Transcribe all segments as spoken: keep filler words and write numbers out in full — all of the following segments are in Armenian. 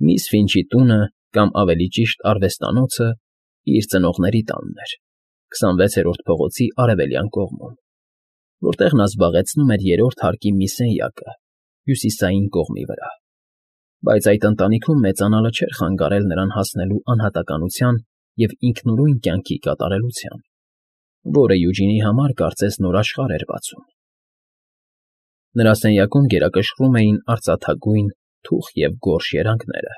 Միս Ֆինչի տունը, կամ ավելի ճիշտ արվեստանոցը, իր ծնողների տանն էր, քսանվեցերորդ փողոցի արևելյան կողմում, որտեղ նա զբաղեցնում էր երրորդ հարկի մի սենյակը, հյուսիսային կողմի վրա, բայց այդ ընտանիքում մեծանալը չէր խանգարել նրան հասնելու անհատականության և ինքնուրույն կյանքի կատարելության, որը Յուջինի համար կարծես նոր աշխարհ էր բացում։ Նրա սենյակում գերակշռում էին արծաթագույն, թուխ և գորշ երանգները։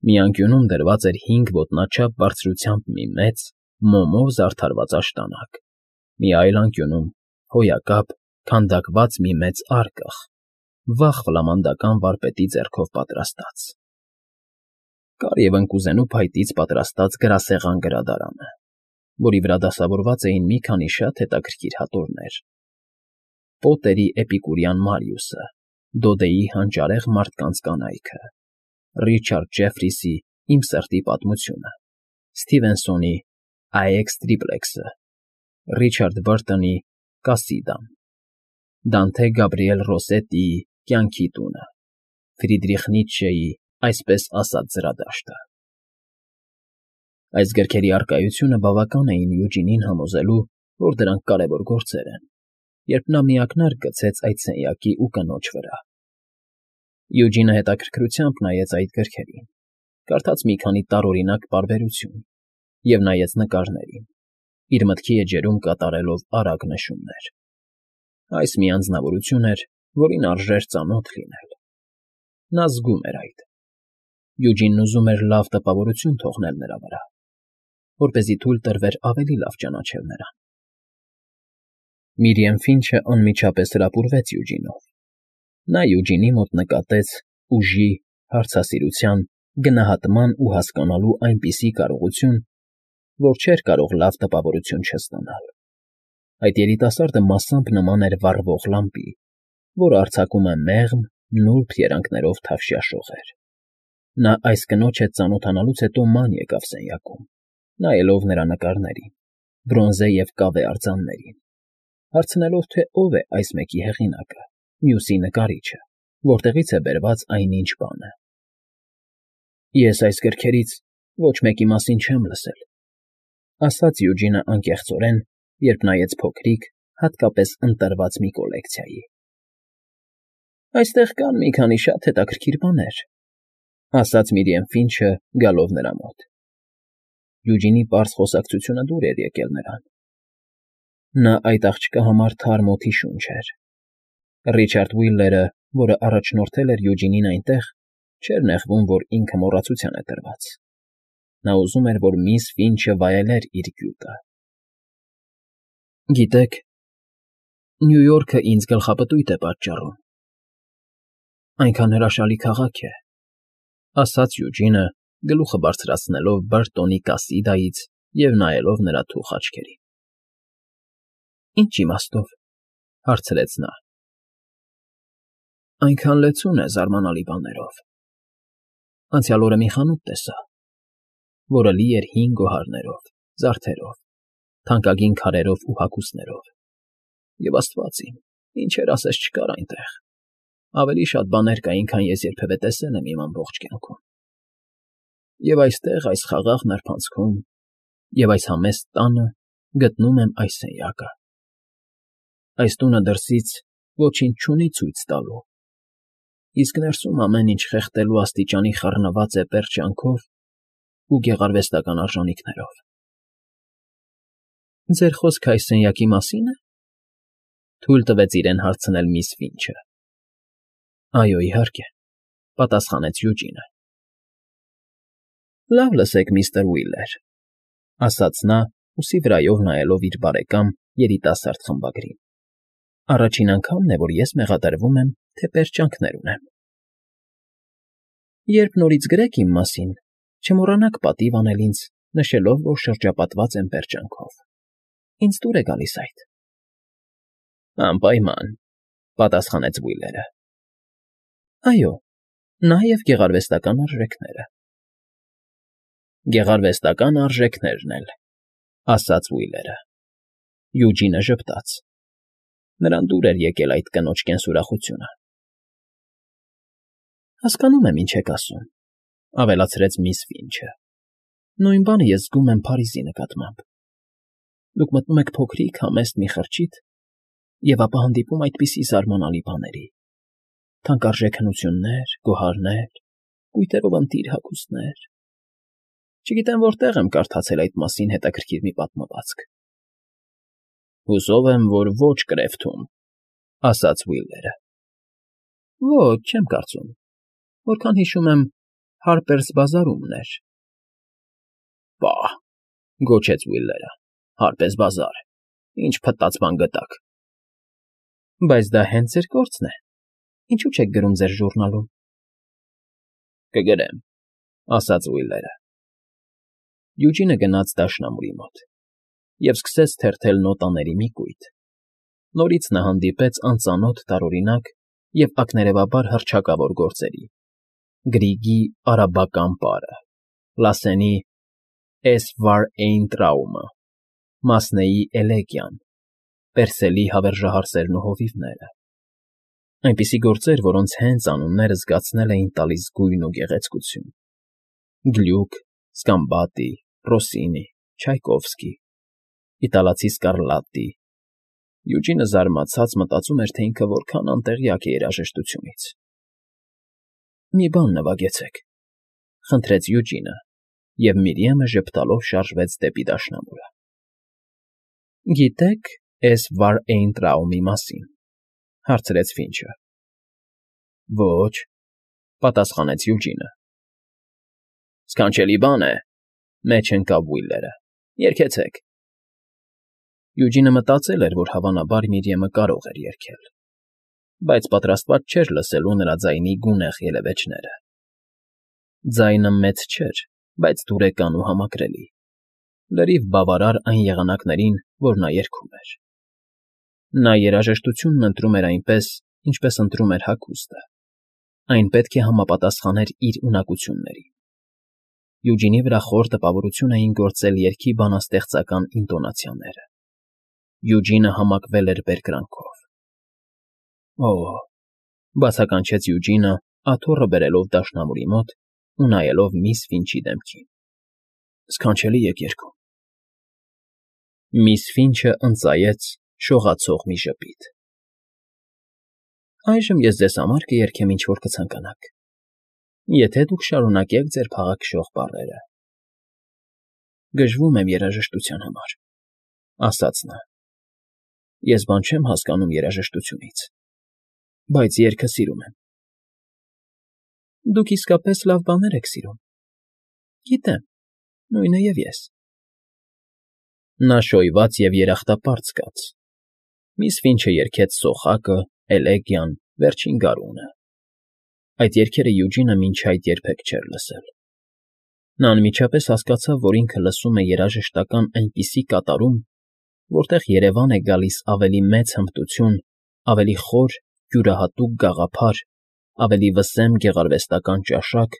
Մի անկյունում դրված էր հինգ ոտնաչափ բարձրությամբ մի մեծ, մոմով զարդարված աշտանակ, մի այլ անկյունում՝ հոյակապ, քանդակված մի մեծ արկղ, վաղ ֆլամանդական վարպետի ձեռքով պատրաստած։ Կար և ընկուզենու փայտից պատրաստած գրասեղան գրադարանը, որի վրա դասավորված էին մի քանի շատ հետաքրքիր հատորներ. Պոտերի էպիկուրյան Մարիուսը, Դոդեի հանճարեղ մարդկանց կանայքը, Ռիչարդ Ջեֆրիսի Իմ սրտի պատմությունը, Սթիվենսոնի Այեքս Տրիպլեքսը, Ռիչարդ Բըրտոնի Կասիդան, Դանթե Գաբրիել Ռոսետիի Կյանքի տունը, Ֆրիդրիխ Նիցշեի Այսպես ասած զրադաշտը։ Այս գրքերի առկայությունը բավական էին Յուջինին համոզելու, որ դրանք կարևոր գործեր են, երբ նա միակնարկ գցեց այդ սենյակի ու կնոջ վրա։ Յուջինը հետաքրքրությամբ նայեց այդ գրքերին, կարդաց մի քանի տարօրինակ պարբերություն և նայեց նկարներին, իր մտքի էջերում կատարելով արագ նշումներ։ Այս մի անձնավորություն էր, որին արժեր ծանոթ լինել։ Նա զգում էր այդ։ Յուջինն ուզում էր լավ տպավորություն թողնել նրա վրա, որպեսզի թույլ տրվեր ավելի լավ ճանաչել նրան։ Միրիամ Ֆինչը անմիջապես հրապուրվեց Յուջինով։ Նա Յուջինի մոտ նկատեց ուժի, հարցասիրության, գնահատման ու հասկանալու այնպիսի կարողություն, որ չէր կարող լավ տպավորություն չստանալ։ Այդ երիտասարդը մասամբ նման էր վառվող լամպի, որը արձակում է մեղմ, նուրբ երանգներով թավշյա շողեր։ Նա այս կնոջ հետ ծանոթանալուց հետո ման եկավ սենյակում, նայելով նրա նկարներին, բրոնզե և կավե արձաններին, հարցնելով, թե ով է այս մեկի հեղինակը, մյուսի նկարիչը, որտեղից է բերված այնինչ բանը։ Ես այս գրքերից ոչ մեկի մասին չեմ լսել, ասաց Յուջինը անկեղծորեն, երբ նայեց փոքրիկ, հատկապես ընտրված մի կոլեկցիայի։ Այստեղ կան մի քանի շատ հետաքրքիր բաներ, ասաց Միրիամ Ֆինչը, գալով նրա մոտ։ Յուջինի պարզ խոսակցությունը դուր էր եկել նրան։ Նա այդ աղջկա համար թարմ օդի շունչ էր։ Ռիչարդ Ուիլլերը, որը առաջնորդել էր Յուջինին այնտեղ, չէր նեղվում, որ ինքը մոռացության է տրված։ Նա ուզում էր, որ միս Ֆինչը վայելեր իր գյուտը։ Գիտեք, Նյու Յորքը ինձ գլխապտույտ է պատճառում։ Այնքան հրաշալի քաղաք է, ասաց Յուջինը, գլուխը բարձրացնելով Բըրտոնի Կասիդայից և նայելով նրա թուխ աչքերին։ Ինչ իմաստով, հարցրեց նա։ Այնքան լեցուն է զարմանալի բաներով։ Անցյալ օրը մի խանութ տեսա, որը լի էր հին գոհարներով, զարդերով, թանկագին քարերով ու հագուստներով, և աստված իմ, ինչեր ասես չկար այնտեղ, ավելի շատ բաներ կային, քան ես երբևէ տեսել եմ իմ ամբողջ կյանքում։ Եվ այստեղ, այս խաղաղ նրբանցքում և այս համեստ տանը գտնում եմ այս սենյակը։ Այս տունը դրսից ոչինչ չունի ցույց տալու, իսկ ներսում ամեն ինչ խեղդելու աստիճանի խառնված է պերճանքով ու գեղարվեստական արժանինքներով։ Ձեր խոսքը այս սենյակի մասի՞ն է,֊ թույլ տվեց իրեն հարցնել միս Ֆինչը։ Այո, իհարկե,֊ պատասխանեց Յուջինը։ Լավ լսեք, միստր Ուիլլեր,֊ ասաց նա, ուսի վրայով նայելով իր բարեկամ երիտասարդ խմբագրին։ Առաջին անգամն է, որ ես մեղադրվում եմ, թե պերճանքներ ունեմ։ Երբ նորից գրեք իմ մասին, չմոռանաք պատիվ անել ինձ, նշելով, որ շրջապատված եմ պերճանքով։ Ինձ դուր է գալիս այդ։ Անպայման,֊ պատասխանեց Ուիլլերը։ Այո, նաև գեղարվեստական արժեքները։ Գեղարվեստական արժեքներն էլ,֊ ասաց Ուիլլերը։ Յուջինը ժպտաց։ Նրան դուր էր եկել այդ կնոջ կենսուրախությունը։ Հասկանում եմ, ինչ եք ասում, Ավելացրեց միս Ֆինչը։ Նույն բանը ես զգում եմ Փարիզի նկատմամբ։ Դուք մտնում եք փոքրիկ, համեստ մի խրճիթ և ապա հանդիպում այդպիսի զարմանալի բաների. թանկարժեք հնություններ, գոհարներ, կույտերով ընտիր հագուստներ… Չգիտեմ որտեղ եմ կարդացել այդ մասին հետաքրքիր մի պատմվածք։ ֊ Հուսով եմ, որ ոչ Կրեֆթում, ֊ ասաց Վիլլերը։ ֊ Ոչ, չեմ կարծում, որքան հիշում եմ, Հարպերս բազարումն էր։ ֊ Պա՜հ,֊ գոչեց Վիլլերը,֊ Հարպերս բազար… Ինչ փտած բան գտաք։ ֊ Բայց դա հենց ձեր գործն է, ինչո՞ւ չեք գրում ձեր ժուռնալում։ ֊ Կգրեմ,֊ ասաց Վիլլերը։ Յուջինը գնաց դաշնամուրի մոտ և սկսեց թերթել նոտաների մի կույտ։ Նորից նա հանդիպեց անծանոթ տարօրինակ և ակներևաբար հռչակավոր գործերի. Գրիգի արաբական պարը, Լասենի Էսվարէյնտրաումը, Մասնեի էլեգիան, Պերսելի հավերժահարսերն ու հովիվները… Այնպիսի գործեր, որոնց հենց անունները զգացնել էին տալիս գույն ու գեղեցկություն. Գլյուք, Սկամբատի, Ռոսինի, Չայկովսկի, իտալացի Սկարլատտի… Յուջինը զարմացած մտածում էր, թե ինքը որքան անտեղյակ է երաժշտությունից։ ֊ Մի բան նվագեցեք,֊ խնդրեց Յուջինը, և Միրիեմը ժպտալով շարժվեց դեպի դաշնամուրը։ ֊ Գիտե՞ք Էսվարէյնտրաումի մասին,֊ հարցրեց Ֆինչը։ ֊ Ոչ,֊ պատասխանեց Յուջինը։ ֊ Սքանչելի բան է,֊ մեջ ընկավ Վիլլերը,֊ երգեցեք։ Յուջինը մտածել էր, որ հավանաբար Միրիեմը կարող էր երգել, բայց պատրաստված չէր լսելու նրա ձայնի գունեղ ելևէջները։ Ձայնը մեծ չէր, բայց դուրեկան ու համակրելի, լրիվ բավարար այն եղանակներին, որ նա երգում էր։ Նա երաժշտությունն ընտրում էր այնպես, ինչպես ընտրում էր հագուստը, այն պետք է համապատասխաներ իր ունակություններին։ Յուջինի վրա խոր տպավորություն էին գործել երգի բանաստեղծական ինտոնացիաները։ Յուջինը համակվել էր բերկրանքով։ Օ՜, բացականչեց Յուջինը, աթոռը բերելով դաշնամուրի մոտ ու նայելով միս Ֆինչի դեմքին,֊ Սքանչելի եք երգում։ Միս Ֆինչը ընծայեց շողացող մի ժպիտ։ ֊ Այժմ ես ձեզ համար կերգեմ, ինչ որ կցանկանաք, եթե դուք շարունակեք ձեր փաղաքշող բառերը։ ֊ Գժվում եմ երաժշտության համար,֊ ասաց նա։ Ես բան չեմ հասկանում երաժշտությունից, բայց երգը սիրում եմ։ ֊ Դուք իսկապես լավ բաներ եք սիրում։ Գիտեմ, նույնը և ես։ Նա շոյված և երախտապարտ զգաց։ Միս Ֆինչը երգեց Սոխակը, Էլեգիան, Վերջին Գարունը… Այդ երգերը Յուջինը մինչ այդ երբեք չէր լսել։ Նա անմիջապես հասկացավ, որ ինքը լսում է երաժշտական այնպիսի կատարում, որտեղ երևան է գալիս ավելի մեծ հմտություն, ավելի խոր, յուրահատուկ գաղափար, ավելի վսեմ գեղարվեստական ճաշակ,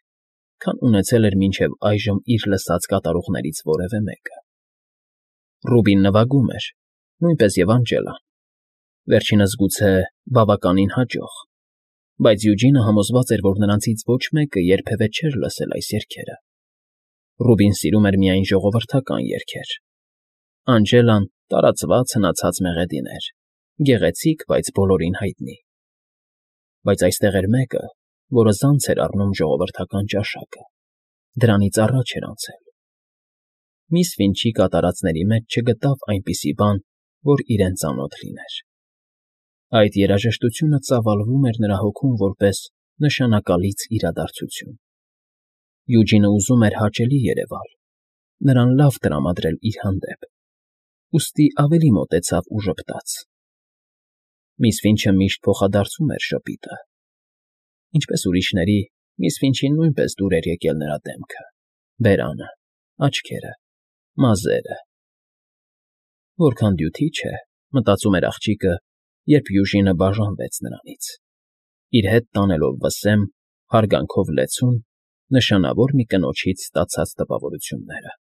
քան ունեցել էր մինչև այժմ իր լսած կատարողներից որևէ մեկը։ Ռուբին նվագում էր, նույնպես և Անջելան, վերջինս գուցե բավականին հաջող, բայց Յուջինը համոզված էր, որ նրանցից ոչ մեկը երբևէ չէր լսել այս երգերը։ Ռուբին սիրում էր միայն ժողովրդական երգեր։ Անջելան տարածված հնացած մեղեդին էր, գեղեցիկ, բայց բոլորին հայտնի։ Բայց այստեղ էր մեկը, որը զանց էր առնում ժողովրդական ճաշակը, դրանից առաջ էր անցել։ Միս Ֆինչի կատարածների մեջ չգտավ այնպիսի բան, որ իրեն ծանոթ լիներ։ Այդ երաժշտությունը ծավալվում էր նրա հոգում որպես նշանակալից իրադարձություն։ Յուջինը ուզում էր հաճելի երևալ, նրան լավ տրամադրել իր հանդեպ, ուստի ավելի մոտեցավ ու ժպտաց։ Միս Ֆինչը միշտ փոխադարձում էր ժպիտը։ Ինչպես ուրիշների, միս Ֆինչին նույնպես դուր էր եկել նրա դեմքը, բերանը, աչքերը, մազերը… Որքան դյութիչ է, մտածում էր աղջիկը, երբ Յուջինը բաժանվեց նրանից, իր հետ տանելով վսեմ, հարգանքով լեցուն, նշանավոր մի կնոջից ստացած տպավորությունները։